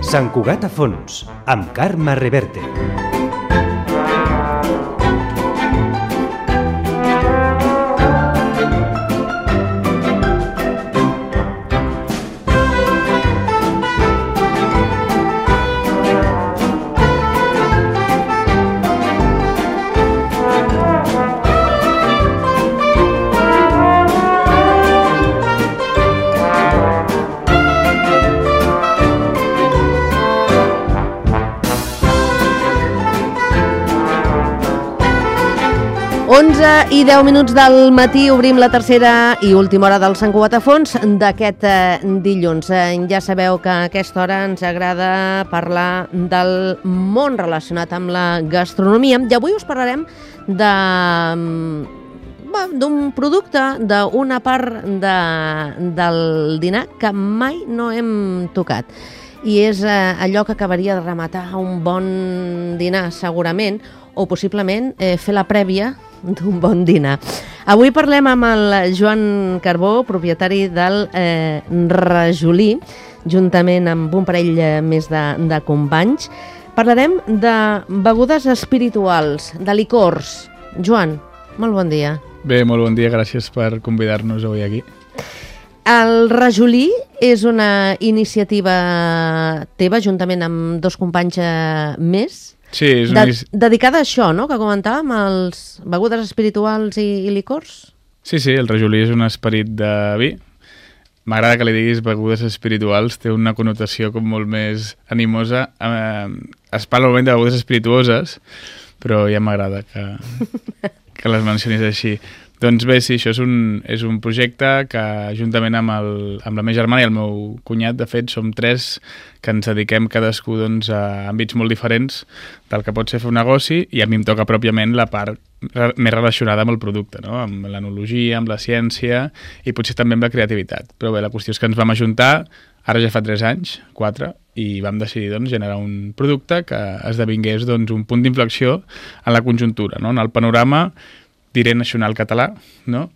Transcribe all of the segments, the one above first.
Sant Cugat a fons, amb Carme Reverte. I 10 minuts del matí obrim la tercera i última hora del Sant Cugat a fons d'aquest dilluns. Ja sabeu que a aquesta hora ens agrada parlar del món relacionat amb la gastronomia i avui us parlarem d'un producte, d'una part del dinar que mai no hem tocat. I és allò que acabaria de rematar un bon dinar, segurament, o possiblement fer la prèvia d'un bon dinar. Avui parlem amb el Joan Carbó, propietari del Rajolí, juntament amb un parell més de companys. Parlarem de begudes espirituals, de licors. Joan, molt bon dia. Bé, molt bon dia, gràcies per convidar-nos avui aquí. El Rajolí és una iniciativa teva, juntament amb dos companys més, sí, és dedicada a això, no?, que comentàvem, els begudes espirituals i licors. Sí, el Rajolí és un esperit de vi. M'agrada que li diguis begudes espirituals, té una connotació com molt més animosa. Es parla normalment de begudes espirituoses, però ja m'agrada que les mencionis així. Doncs bé, sí, això és un projecte que juntament amb la meva germana i el meu cunyat, de fet, som tres que ens dediquem cadascú a àmbits molt diferents del que pot ser fer un negoci, i a mi em toca pròpiament la part més relacionada amb el producte, no? Amb l'enologia, amb la ciència i potser també amb la creativitat. Però bé, la qüestió és que ens vam ajuntar, ara ja fa 3 anys, 4, i vam decidir generar un producte que esdevingués un punt d'inflexió en la conjuntura, no? En el panorama, diré, nacional català, no?,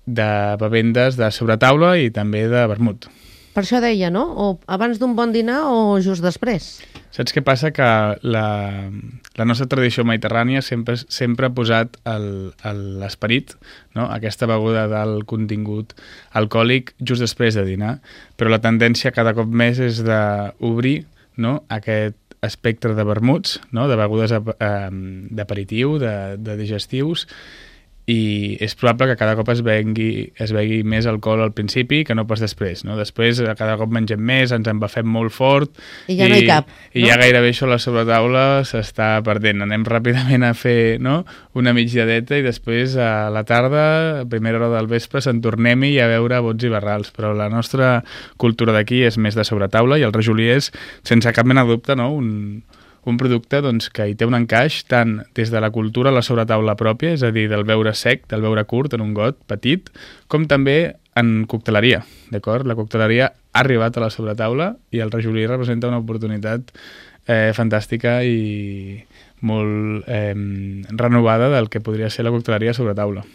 de bevendes de sobretaula i també de vermut. Per això deia, no? O abans d'un bon dinar o just després? Saps què passa? Que la nostra tradició mediterrània sempre ha posat l'esperit, no?, aquesta beguda del contingut alcohòlic just després de dinar, però la tendència cada cop més és d'obrir, no?, aquest espectre de vermuts, no?, de begudes d'aperitiu, de digestius, i és probable que cada cop es begui més alcohol al principi que no pas després, no? Després cada cop mengem més, ens embafem molt fort i ja no hi cap, i ja gairebé això a la sobretaula s'està perdent. Anem ràpidament a fer, no?, una migdiadeta i després a la tarda, a primera hora del vespre, se'n tornem-hi a veure bots i barrals, però la nostra cultura d'aquí és més de sobretaula i el Rajolí és, sense cap mena de dubte, no?, un producte que hi té un encaix tant des de la cultura a la sobretaula pròpia, és a dir, del beure sec, del beure curt en un got petit, com també en cocteleria, d'acord? La cocteleria ha arribat a la sobretaula i el Rajolí representa una oportunitat fantàstica i molt renovada del que podria ser la cocteleria a sobretaula.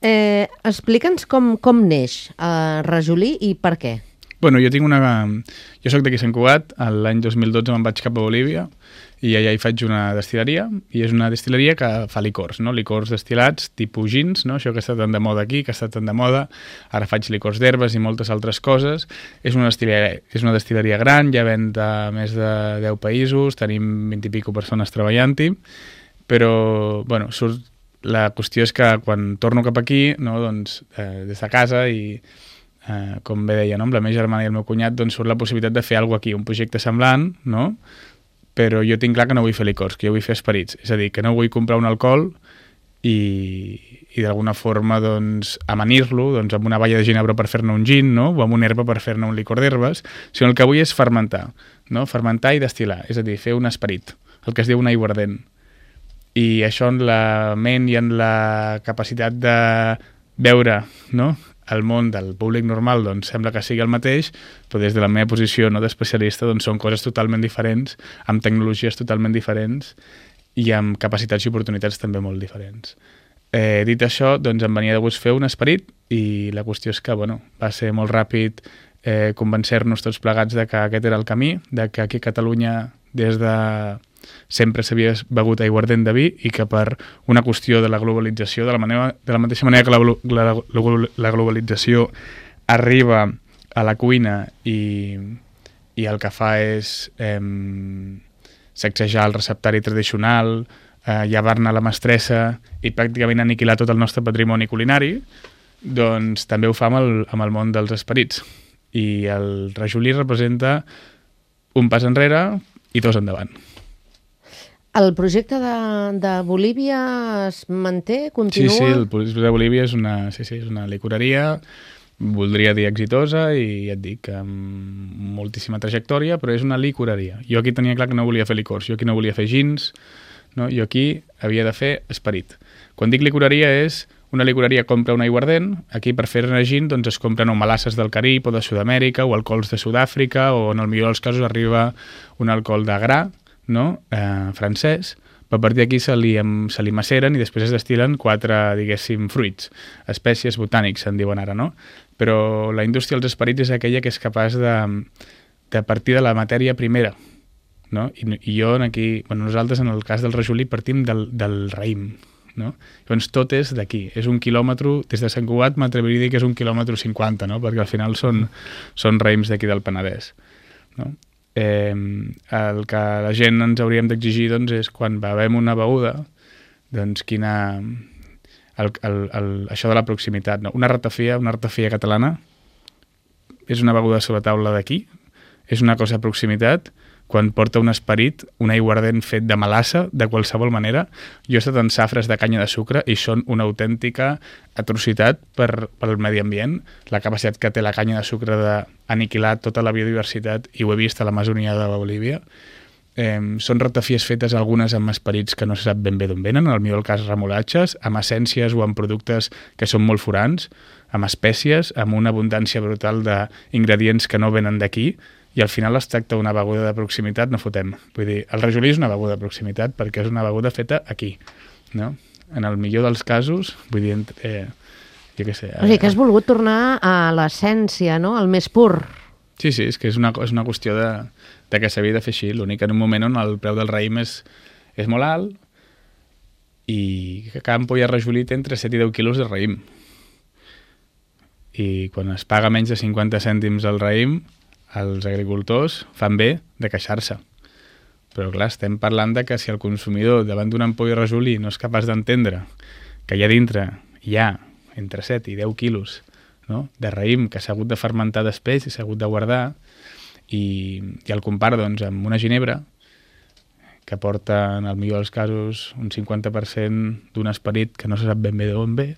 Explica'ns com neix el Rajolí i per què. Bueno, jo soc d'aquí a Sant Cugat, l'any 2012 me'n vaig cap a Bolívia i allà hi faig una destil·leria, i és una destil·leria que fa licors, no? Licors destil·lats, tipus gins, no? Això que està tan de moda aquí, que està tan de moda. Ara faig licors d'herbes i moltes altres coses. És una destil·leria gran, ja ven de més de 10 països, tenim 20 i pico persones treballant-hi, però, bueno, la qüestió és que quan torno cap aquí, no, des de casa i com bé deia, no?, amb la meva germana i el meu cunyat, surt la possibilitat de fer alguna cosa aquí, un projecte semblant, no?, però jo tinc clar que no vull fer licors, que jo vull fer esperits, és a dir, que no vull comprar un alcohol i d'alguna forma amanir-lo amb una balla de ginebra per fer-ne un gin, no?, o amb una herba per fer-ne un licor d'herbes, sinó el que vull és fermentar, no?, fermentar i destil·lar, és a dir, fer un esperit, el que es diu un aiguardent. I això en la ment i en la capacitat de veure, no?, el món del públic normal sembla que sigui el mateix, però des de la meva posició d'especialista són coses totalment diferents, amb tecnologies totalment diferents i amb capacitats i oportunitats també molt diferents. Dit això, em venia de gust fer un esperit i la qüestió és que va ser molt ràpid convencer-nos tots plegats de que aquest era el camí, de que aquí a Catalunya des de sempre s'havia begut aiguardent de vi i que per una qüestió de la globalització, de la mateixa manera que la globalització arriba a la cuina i el que fa és sacsejar el receptari tradicional, llevar-ne la mestressa i pràcticament aniquilar tot el nostre patrimoni culinari, doncs també ho fa amb el món dels esperits. I el rajolí representa un pas enrere i dos endavant. El projecte de Bolívia es manté, continua? Sí, el projecte de Bolívia és una licoreria, voldria dir exitosa i ja et dic, amb moltíssima trajectòria, però és una licoreria. Jo aquí tenia clar que no volia fer licors, jo aquí no volia fer gins, no? Jo aquí havia de fer esperit. Quan dic licoreria és una licoreria compra un aiguardent, aquí per fer-ne gin doncs es compren o melasses del Carib o de Sud-amèrica o alcohols de Sud-àfrica o en el millor dels casos arriba un alcohol de gra, no? Francès, però a partir d'aquí se li maceren i després es destil·len 4, diguéssim, fruits, espècies botànics, se'n diuen ara, no? Però la indústria dels esperits és aquella que és capaç de partir de la matèria primera, no? I jo aquí, nosaltres en el cas del rajolí partim del raïm, no? Llavors tot és d'aquí, és 1 quilòmetre, des de Sant Cugat m'atreviria a dir que és 1,50 quilòmetres, no? Perquè al final són raïms d'aquí del Penedès, no? El que la gent ens hauríem d'exigir doncs, és quan bevem una beguda, doncs això de la proximitat, no? Una ratafia catalana és una beguda sobre taula d'aquí, és una cosa de proximitat. Quan porta un esperit, un aiguardent fet de melassa, de qualsevol manera. Jo he estat en safres de canya de sucre i són una autèntica atrocitat pel medi ambient. La capacitat que té la canya de sucre d'aniquilar tota la biodiversitat, i ho he vist a l'Amazonia de Bolívia. Són ratafies fetes algunes amb esperits que no se sap ben bé d'on venen, en el millor cas remolatges, amb essències o amb productes que són molt forans, amb espècies, amb una abundància brutal d'ingredients que no venen d'aquí, i al final es tracta d'una beguda de proximitat, no fotem. Vull dir, el rajolí és una beguda de proximitat perquè és una beguda feta aquí, no? En el millor dels casos, vull dir, jo què sé... O sigui, que has volgut tornar a l'essència, no? Al més pur. Sí, és que és una qüestió de que s'havia de fer així. L'únic en un moment on el preu del raïm és molt alt i que cada ampolla de rajolí té entre 7 i 10 quilos de raïm. I quan es paga menys de 50 cèntims el raïm, els agricultors fan bé de queixar-se. Però clar, estem parlant de que si el consumidor davant d'una ampolla de rajolí no és capaç d'entendre que allà dintre hi ha entre 7 i 10 quilos, no?, de raïm que s'ha hagut de fermentar després i s'ha hagut de guardar, i el compara doncs, amb una ginebra que porta, en el millor dels casos, un 50% d'un esperit que no se sap ben bé d'on ve.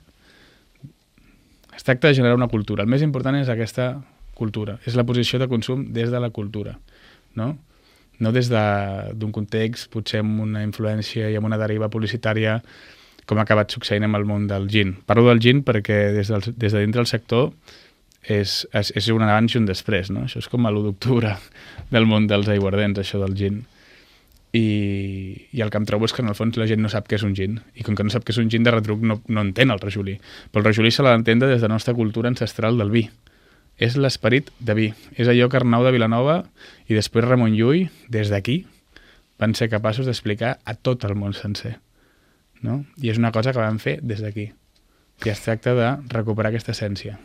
Es tracta de generar una cultura. El més important és aquesta cultura, és la posició de consum des de la cultura, no? No des d'un context, potser amb una influència i amb una deriva publicitària, com ha acabat succeint amb el món del gin. Parlo del gin perquè des de dintre del sector és un abans i un després, no? Això és com l'1 d'octubre del món dels aiguardents, això del gin. I el que em trobo és que en el fons la gent no sap què és un gin, i com que no sap què és un gin, de retruc no entén el rajolí. Però el rajolí se l'ha d'entendre des de la nostra cultura ancestral del vi. És l'esperit de vi. És allò que Arnau de Vilanova i després Ramon Llull, des d'aquí, van ser capaços d'explicar a tot el món sencer, no? I és una cosa que van fer des d'aquí. I es tracta de recuperar aquesta essència.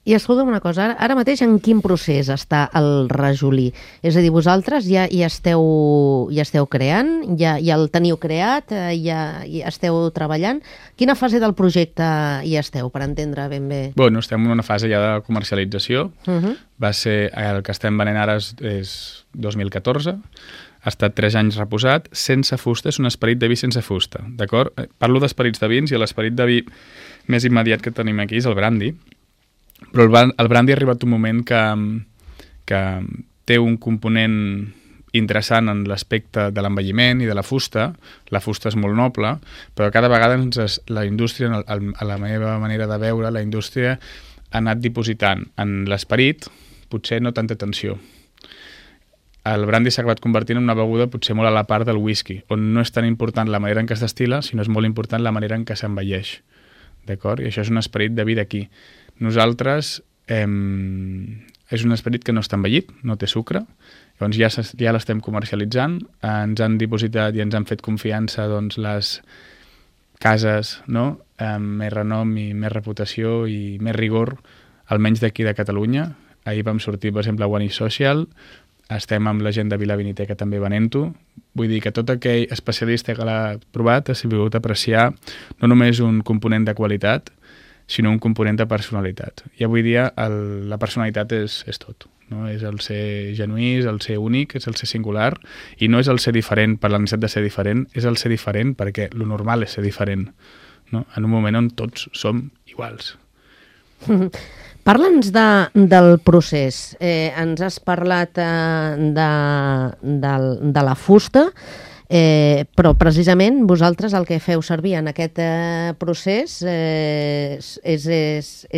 I escolta'm una cosa, ara mateix en quin procés està el rajolí? És a dir, vosaltres ja esteu creant, ja el teniu creat, ja esteu treballant. Quina fase del projecte hi esteu, per entendre ben bé? Bueno, estem en una fase ja de comercialització. Va ser, el que estem venent ara és 2014. Ha estat 3 anys reposat, sense fusta, és un esperit de vi sense fusta, d'acord? Parlo d'esperits de vins i l'esperit de vi més immediat que tenim aquí és el brandy. Però el brandy ha arribat un moment que té un component interessant en l'aspecte de l'envelliment i de la fusta. La fusta és molt noble, però cada vegada la indústria, a la meva manera de veure, la indústria ha anat dipositant en l'esperit potser no tanta atenció. El brandy s'ha acabat convertint en una beguda potser molt a la part del whisky, on no és tan important la manera en què es destil·la, sinó és molt important la manera en què s'envelleix. D'acord? I això és un esperit de vi d'aquí. Nosaltres és un esperit que no està envellit, no té sucre, llavors ja l'estem comercialitzant, ens han dipositat i ens han fet confiança doncs, les cases, no?, amb més renom i més reputació i més rigor, almenys d'aquí de Catalunya. Ahir vam sortir, per exemple, a One is Social, estem amb la gent de Vila Viniteca també venent-ho. Vull dir que tot aquell especialista que l'ha provat ha sabut apreciar no només un component de qualitat, sinó un component de personalitat. I avui dia la personalitat és tot. No? És el ser genuí, és el ser únic, és el ser singular, i no és el ser diferent per la necessitat de ser diferent, és el ser diferent perquè lo normal és ser diferent, no? En un moment on tots som iguals. Parla'ns del procés. Ens has parlat de la fusta, però precisament vosaltres el que feu servir en aquest procés és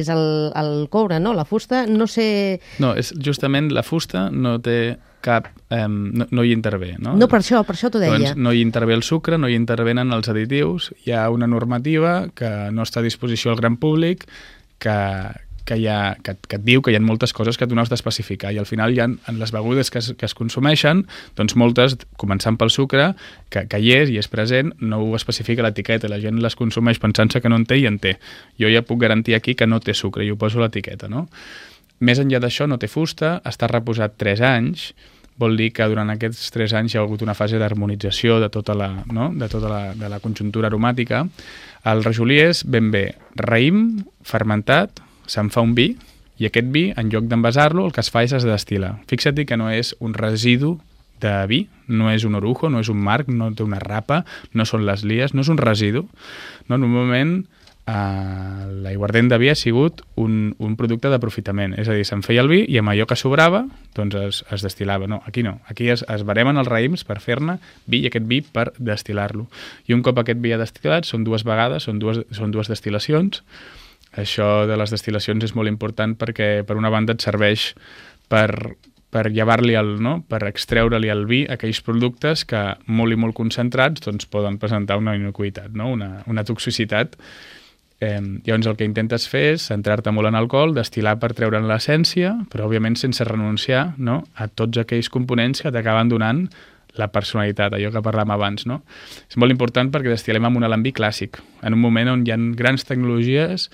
el coure, no? La fusta, no sé... No, és justament la fusta no té cap... no hi intervé, no? No, per això t'ho deia. Doncs no hi intervé el sucre, no hi intervenen els additius, hi ha una normativa que no està a disposició al gran públic, que et diu que hi ha moltes coses que tu no has d'especificar, i al final hi ha en les begudes que es consumeixen, doncs moltes, començant pel sucre, que hi és i és present, no ho especifica l'etiqueta, la gent les consumeix pensant-se que no en té i en té. Jo ja puc garantir aquí que no té sucre i ho poso a l'etiqueta, no? Més enllà d'això, no té fusta, està reposat 3 anys, vol dir que durant aquests 3 anys hi ha hagut una fase d'harmonització de tota la conjuntura aromàtica. El rajolí és ben bé raïm, fermentat, se'n fa un vi, i aquest vi, en lloc d'envasar-lo, el que es fa és es destil·la. Fixa't que no és un residu de vi, no és un orujo, no és un marc, no té una rapa, no són les lies, no és un residu. No? Normalment, l'aiguardent de vi ha sigut un producte d'aprofitament, és a dir, se'n feia el vi i amb allò que sobrava doncs es destil·lava. No, aquí no, aquí es baremen els raïms per fer-ne vi i aquest vi per destil·lar-lo. I un cop aquest vi ha destil·lat, són 2 vegades, són dues destil·lacions. Això de les destil·lacions és molt important perquè, per una banda, et serveix per llevar-li per extreure-li al vi aquells productes que, molt i molt concentrats, doncs poden presentar una inocuïtat, no? una toxicitat. Llavors el que intentes fer és centrar-te molt en alcohol, destil·lar per treure'n l'essència, però òbviament sense renunciar, no?, a tots aquells components que t'acaben donant la personalitat, allò que parlàvem abans, no? És molt important perquè destil·lem amb un alambí clàssic, en un moment on hi ha grans tecnologies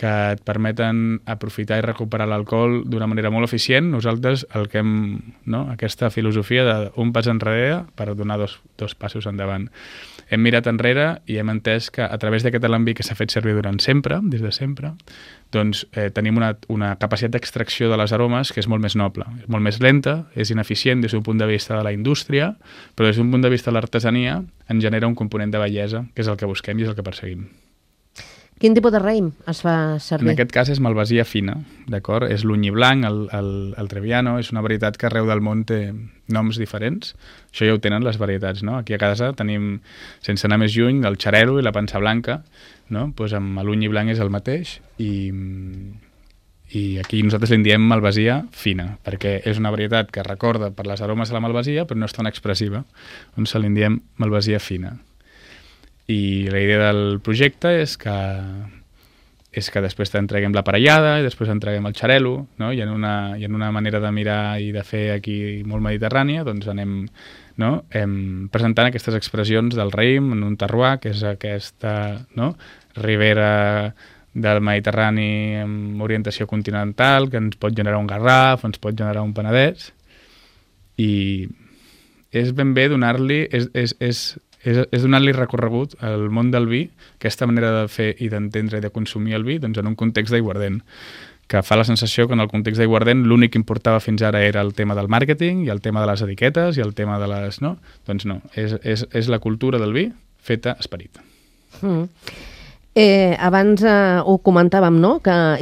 que et permeten aprofitar i recuperar l'alcohol d'una manera molt eficient. Nosaltres el que hem, no?, aquesta filosofia d'un pas enrere per donar dos passos endavant. Hem mirat enrere i hem entès que a través d'aquest alambí que s'ha fet servir durant sempre, des de sempre, doncs tenim una capacitat d'extracció de les aromes que és molt més noble, és molt més lenta, és ineficient des d'un punt de vista de la indústria, però des d'un punt de vista de l'artesania en genera un component de bellesa, que és el que busquem i és el que perseguim. Quin tipus de raïm es fa servir? En aquest cas és malvasia fina, d'acord? És l'unyi blanc, el Trebbiano, és una varietat que arreu del món té noms diferents. Això ja ho tenen les varietats, no? Aquí a casa tenim, sense anar més lluny, el xarel·lo i la pansa blanca, no? Pues amb l'unyi blanc és el mateix i aquí nosaltres li diem malvasia fina, perquè és una varietat que recorda per les aromes a la malvasia, però no és tan expressiva, on se li diem malvasia fina. I la idea del projecte és que després t'entreguem l'aparellada i després entreguem el xarel·lo, no? I en una manera de mirar i de fer aquí molt mediterrània, doncs anem, no?, presentant aquestes expressions del raïm en un terroir, que és aquesta, no?, ribera del Mediterrani amb orientació continental, que ens pot generar un Garraf, ens pot generar un Penedès, i és ben bé donar-li... és donar-li recorregut al món del vi, aquesta manera de fer i d'entendre i de consumir el vi, doncs en un context d'aiguardent, que fa la sensació que en el context d'aiguardent l'únic que importava fins ara era el tema del màrqueting i el tema de les etiquetes i el tema de les... No? Doncs no, és la cultura del vi feta esperit. Abans ho comentàvem, no?,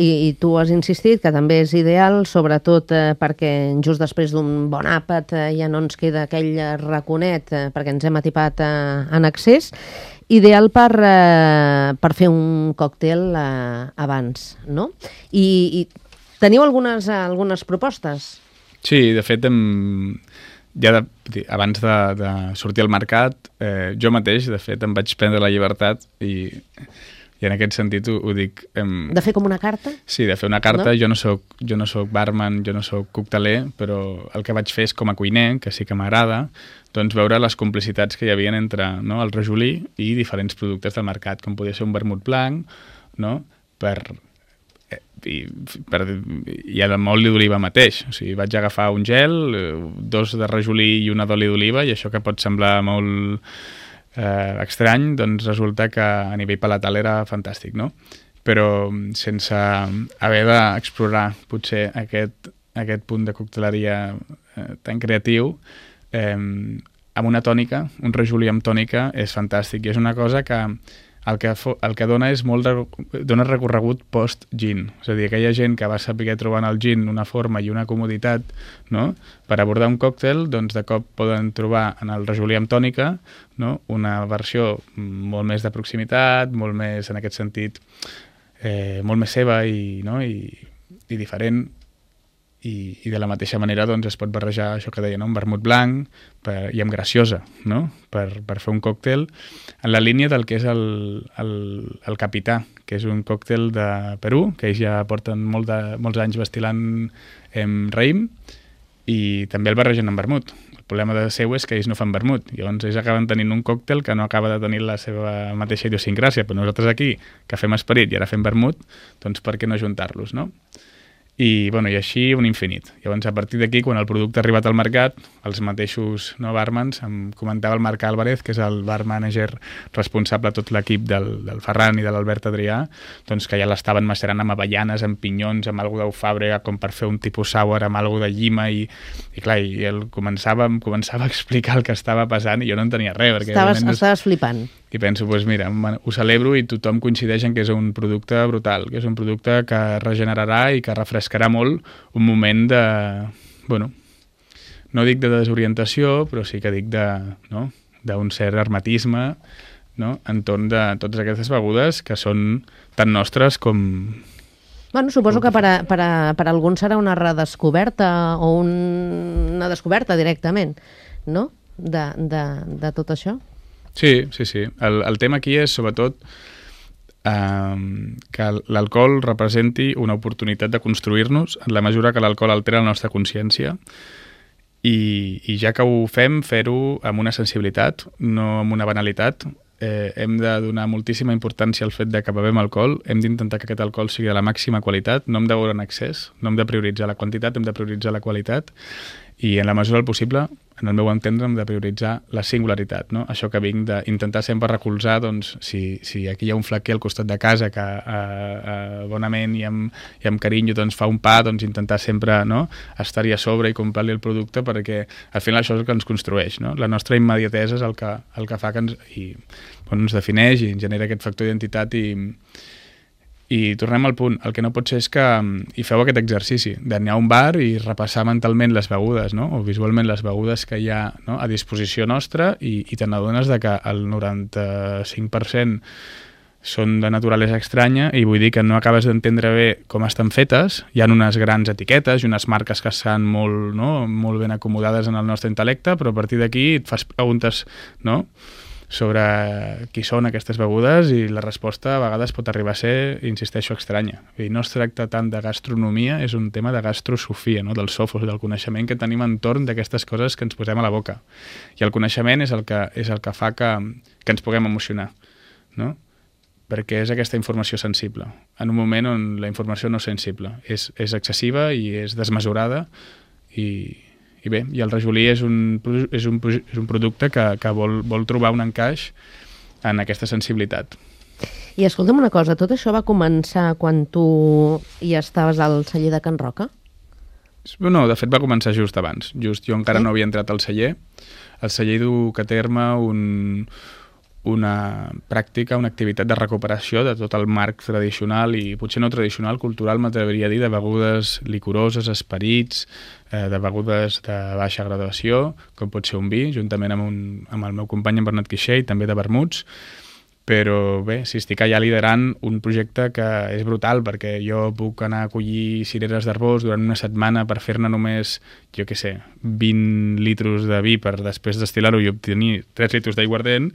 i tu has insistit que també és ideal, sobretot perquè just després d'un bon àpat ja no ens queda aquell raconet perquè ens hem atipat en excés, ideal per fer un còctel abans, no? I teniu algunes propostes? Sí, de fet, abans de sortir al mercat, jo mateix, de fet, em vaig prendre la llibertat i I en aquest sentit ho dic... De fer com una carta? Sí, de fer una carta. No? Jo no soc barman, jo no soc cocteler, però el que vaig fer és com a cuiner, que sí que m'agrada, doncs veure les complicitats que hi havia entre el rajolí i diferents productes del mercat, com podia ser un vermut blanc, no? I el oli d'oliva mateix. O sigui, vaig agafar un gel, 2 de rajolí i una d'oli d'oliva, i això que pot semblar molt estrany, doncs resulta que a nivell palatal era fantàstic, no? Però sense haver d'explorar potser aquest punt de cocteleria tan creatiu, amb una tònica, un rajolí amb tònica és fantàstic, i és una cosa que el que dona és dona recorregut post-gin. És a dir, aquella gent que va saber trobar en el gin una forma i una comoditat, no? Per abordar un còctel, doncs de cop poden trobar en el rajolí amb tònica, no? Una versió molt més de proximitat, molt més, en aquest sentit, molt més seva i diferent. I de la mateixa manera doncs, es pot barrejar això que deia, no? Un vermut blanc i amb graciosa, no? Per fer un còctel en la línia del que és el Capità, que és un còctel de Perú, que ells ja porten molts anys destil·lant raïm, i també el barregen amb vermut. El problema seu és que ells no fan vermut, llavors ells acaben tenint un còctel que no acaba de tenir la seva mateixa idiosincràsia, però nosaltres aquí, que fem esperit i ara fem vermut, doncs per què no juntar-los, no? I així un infinit. Llavors, a partir d'aquí, quan el producte ha arribat al mercat, els mateixos barmans, em comentava el Marc Álvarez, que és el bar manager responsable de tot l'equip del Ferran i de l'Albert Adrià, doncs que ja l'estaven macerant amb avellanes, amb pinyons, amb alguna d'eufàbrega, com per fer un tipus sour, amb alguna de llima, i clar, i ell em començava a explicar el que estava passant, i jo no entenia res. Estaves flipant. I penso, doncs mira, ho celebro, i tothom coincideix en que és un producte brutal, que és un producte que regenerarà i que refrescarà molt un moment de, no dic de desorientació, però sí que dic d'un cert hermetisme, no? Entorn de totes aquestes begudes que són tan nostres com... Suposo que per alguns serà una redescoberta o una descoberta directament, no? De tot això. Sí. El tema aquí és, sobretot, que l'alcohol representi una oportunitat de construir-nos en la mesura que l'alcohol altera la nostra consciència, i ja que ho fem, fer-ho amb una sensibilitat, no amb una banalitat. Hem de donar moltíssima importància al fet de que bevem alcohol, hem d'intentar que aquest alcohol sigui de la màxima qualitat, no hem de veure en excés, no hem de prioritzar la quantitat, hem de prioritzar la qualitat, i en la mesura del possible, en el meu entendre, hem de prioritzar la singularitat, no? Això que vinc d'intentar sempre recolzar, doncs, si aquí hi ha un flaquer al costat de casa que bonament i amb carinyo doncs, fa un pa, doncs intentar sempre estar-hi a sobre i comprar-li el producte, perquè al final això és el que ens construeix, no? La nostra immediatesa és el que fa que ens defineix i ens genera aquest factor d'identitat. I tornem al punt, el que no pot ser és que hi feu aquest exercici d'anar a un bar i repassar mentalment les begudes, no? O visualment les begudes que hi ha, no? A disposició nostra, i te n'adones que el 95% són de naturalesa estranya, i vull dir que no acabes d'entendre bé com estan fetes. Hi ha unes grans etiquetes i unes marques que estan molt ben acomodades en el nostre intel·lecte, però a partir d'aquí et fas preguntes, no?, sobre qui són aquestes begudes, i la resposta a vegades pot arribar a ser, insisteixo, estranya. I no es tracta tant de gastronomia, és un tema de gastrosofia, no? Del sofos, del coneixement que tenim entorn d'aquestes coses que ens posem a la boca. I el coneixement és el que fa que ens puguem emocionar, no? Perquè és aquesta informació sensible, en un moment on la informació no és sensible, és excessiva i és desmesurada, i bé, i el rajolí és un producte que vol trobar un encaix en aquesta sensibilitat. I escolta'm una cosa, tot això va començar quan tu ja estaves al celler de Can Roca? No, de fet va començar just abans. Jo encara no havia entrat al celler. El celler du a terme una pràctica, una activitat de recuperació de tot el marc tradicional i potser no tradicional, cultural, m'atreviria a dir, de begudes licoroses, esperits, de begudes de baixa graduació, com pot ser un vi, juntament amb el meu company en Bernat Quixer, i també de vermuts, Però bé, si estic allà liderant un projecte que és brutal, perquè jo puc anar a collir cireres d'arbós durant una setmana per fer-ne només, jo què sé, 20 litros de vi per després destil·lar-ho i obtenir 3 litros d'aiguardent,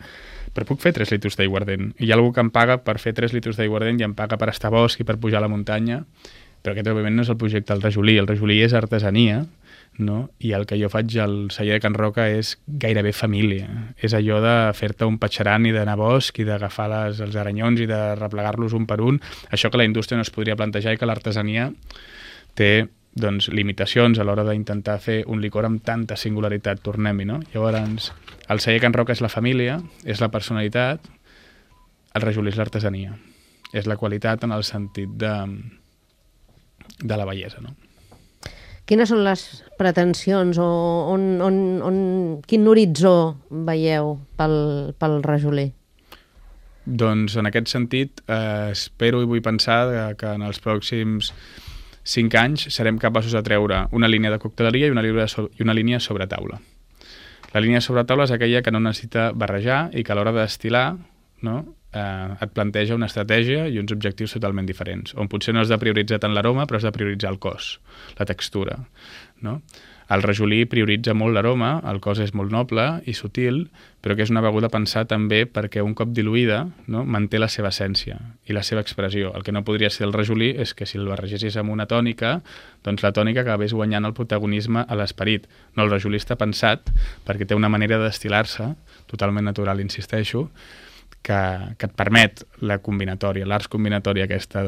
però puc fer 3 litros d'aiguardent. I hi ha algú que em paga per fer 3 litros d'aiguardent i em paga per estar a bosc i per pujar a la muntanya, però aquest òbviament no és el projecte del rajolí. El rajolí és artesania, no? I el que jo faig al celler de Can Roca és gairebé família. És allò de fer-te un patxaran i d'anar a bosc i d'agafar els aranyons i de replegar-los un per un. Això que la indústria no es podria plantejar i que l'artesania té doncs, limitacions a l'hora d'intentar fer un licor amb tanta singularitat, tornem-hi, no? Llavors, el celler Can Roca és la família, és la personalitat, el rajolí és l'artesania. És la qualitat en el sentit de la bellesa, no? Quines són les pretensions o quin horitzó veieu pel rajolí? Doncs en aquest sentit espero i vull pensar que en els pròxims 5 anys serem capaços de treure una línia de cocteleria i una línia sobre taula. La línia sobre taula és aquella que no necessita barrejar i que a l'hora de destil·lar, no, et planteja una estratègia i uns objectius totalment diferents, on potser no has de prioritzar tant l'aroma, però has de prioritzar el cos, la textura, no? El rajolí prioritza molt l'aroma, el cos és molt noble i sutil, però que és una beguda pensada també perquè un cop diluïda, no, manté la seva essència i la seva expressió. El que no podria ser el rajolí és que si el barregessis amb una tònica, doncs la tònica acabés guanyant el protagonisme a l'esperit. No, el rajolí està pensat perquè té una manera de destil·lar-se, totalment natural, insisteixo, que et permet la combinatòria, l'arts combinatòria aquesta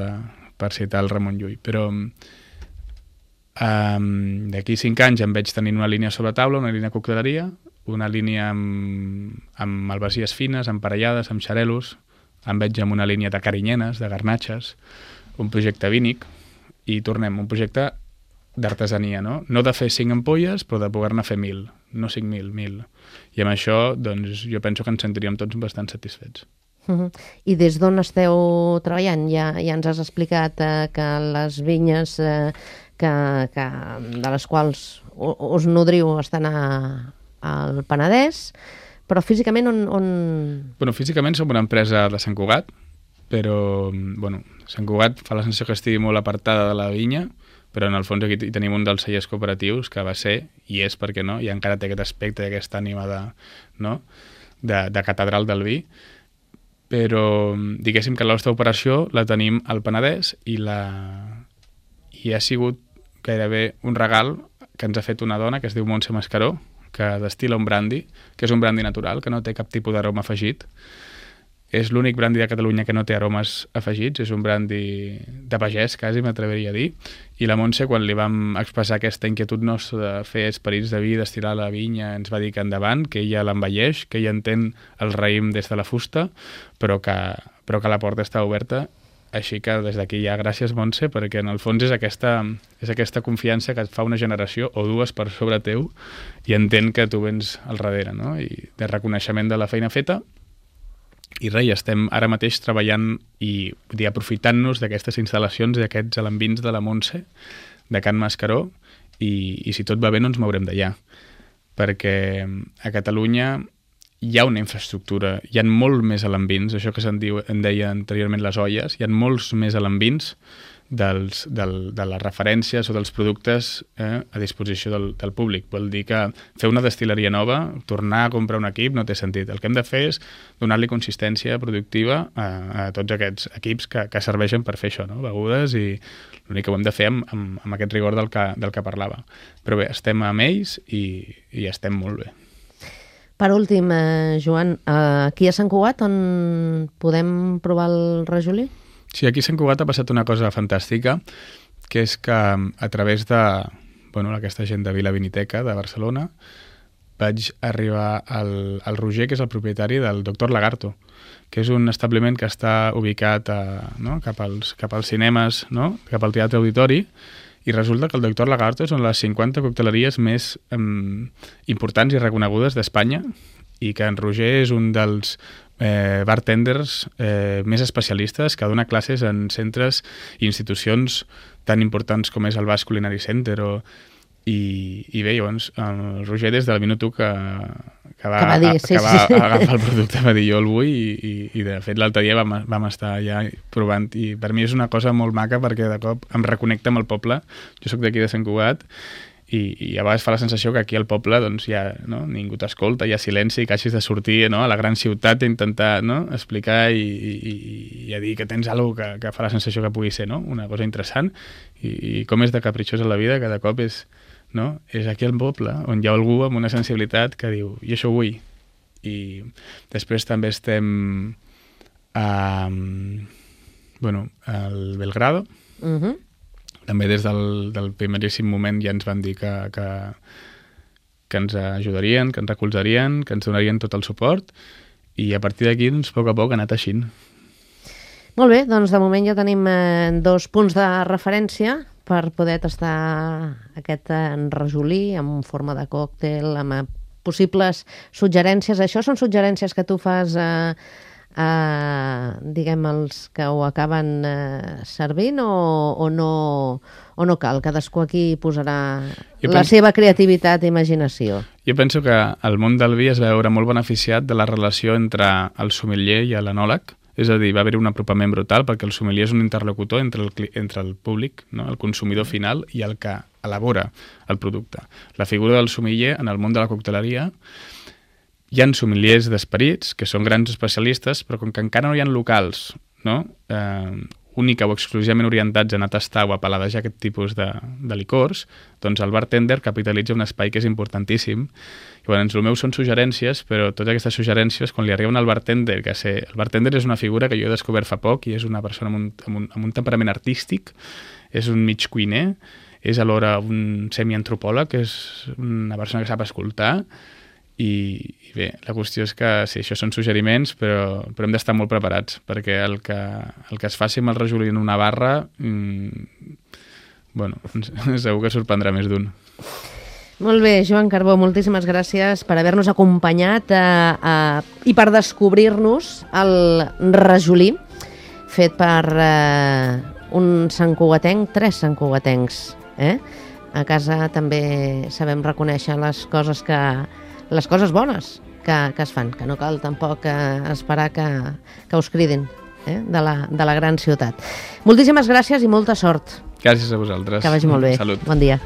per citar el Ramon Llull. Però d'aquí 5 anys em veig tenint una línia sobre taula, una línia de cocteleria, una línia amb malvasies fines, emparellades, amb xarelos, em veig amb una línia de carinyenes, de garnatxes, un projecte vínic, i tornem, un projecte d'artesania, no? No de fer 5 ampolles, però de poder-ne fer 1.000, no 5.000, 1.000. I amb això, doncs, jo penso que ens sentiríem tots bastant satisfets. I des d'on esteu treballant? Ja ens has explicat que les vinyes de les quals us nodriu estan al Penedès, però físicament on... Bueno, físicament som una empresa de Sant Cugat, però Sant Cugat fa la sensació que estigui molt apartada de la vinya, però en el fons aquí hi tenim un dels cellers cooperatius que va ser, i és perquè no, i encara té aquest aspecte, aquesta ànima de catedral del vi, però diguéssim que la nostra operació la tenim al Penedès i ha sigut gairebé un regal que ens ha fet una dona que es diu Montse Mascaró, que destil·la un brandi, que és un brandi natural, que no té cap tipus d'aroma afegit. És l'únic brandi de Catalunya que no té aromes afegits, és un brandi de pagès, quasi m'atreviria a dir, i la Montse, quan li vam expressar aquesta inquietud nostra de fer esperits de vi, d'estirar la vinya, ens va dir que endavant, que ella l'envelleix, que ella entén el raïm des de la fusta, però que la porta està oberta. Així que des d'aquí ja gràcies, Montse, perquè en el fons és aquesta confiança que et fa una generació o dues per sobre teu i entén que tu vens al darrere, no? I de reconeixement de la feina feta. I res, estem ara mateix treballant i aprofitant-nos d'aquestes instal·lacions i d'aquests alambins de la Montse, de Can Mascaró, i si tot va bé no ens mourem d'allà. Perquè a Catalunya hi ha una infraestructura, hi ha molt més alambins, això que en deia anteriorment les olles, hi ha molts més alambins de les referències o dels productes a disposició del públic. Vol dir que fer una destil·leria nova, tornar a comprar un equip, no té sentit. El que hem de fer és donar-li consistència productiva a tots aquests equips que serveixen per fer això, no? Begudes, i l'únic que ho hem de fer amb aquest rigor del que parlava. Però bé, estem amb ells i estem molt bé. Per últim, Joan, aquí a Sant Cugat on podem provar el rajolí? Sí, aquí a Sant Cugat ha passat una cosa fantàstica, que és que a través d'aquesta gent de Vila Viniteca de Barcelona vaig arribar al Roger, que és el propietari del Doctor Lagarto, que és un establiment que està ubicat cap als cinemes, no? Cap al Teatre Auditori, i resulta que el Doctor Lagarto és una de les 50 cocteleries més importants i reconegudes d'Espanya, i que en Roger és un dels bartenders més especialistes que dona classes en centres i institucions tan importants com és el Basque Culinary Center i bé, llavors el Roger des del minut 1 va dir, agafar el producte, va dir jo el vull i de fet l'altre dia vam estar allà provant i per mi és una cosa molt maca perquè de cop em reconnecta amb el poble. Jo sóc d'aquí de Sant Cugat i a vegades fa la sensació que aquí al poble doncs, ja ningú t'escolta, hi ha silenci i que hagis de sortir a la gran ciutat a intentar explicar i a dir que tens alguna cosa que fa la sensació que pugui ser una cosa interessant i com és de capritxosa la vida que de cop és aquí al poble on hi ha algú amb una sensibilitat que diu i això ho vull. I després també estem al Belgrado. També des del primeríssim moment ja ens van dir que ens ajudarien, que ens recolzarien, que ens donarien tot el suport i a partir d'aquí, a poc a poc, ha anat així. Molt bé, doncs de moment ja tenim 2 punts de referència per poder tastar aquest rajolí en forma de còctel, amb possibles suggerències. Això són suggerències que tu fas diguem, els que ho acaben servint o no cal? Cadascú aquí posarà la seva creativitat i imaginació. Jo penso que el món del vi es va veure molt beneficiat de la relació entre el sommelier i l'enòleg. És a dir, va haver un apropament brutal perquè el sommelier és un interlocutor entre el públic, el consumidor final i el que elabora el producte. La figura del sommelier en el món de la cocteleria. Hi ha sommeliers d'esperits, que són grans especialistes, però com que encara no hi ha locals única o exclusivament orientats a anar a tastar o a paladejar aquest tipus de licors, doncs el bartender capitalitza un espai que és importantíssim. I llavors, el meu són suggerències, però totes aquestes suggerències, quan li arriben al bartender, el bartender és una figura que jo he descobert fa poc i és una persona amb un temperament artístic, és un mig cuiner, és alhora un semiantropòleg, que és una persona que sap escoltar. I bé, la qüestió és que sí, això són suggeriments, però hem d'estar molt preparats, perquè el que es faci amb el rajolí en una barra, segur que sorprendrà més d'un. Molt bé, Joan Carbó, moltíssimes gràcies per haver-nos acompanyat i per descobrir-nos el rajolí fet per un santcugatenc, 3 santcugatencs. A casa també sabem reconèixer les coses bones que es fan, que no cal tampoc esperar que us cridin de la gran ciutat. Moltíssimes gràcies i molta sort. Gràcies a vosaltres. Que vagi molt bé. Salut. Bon dia.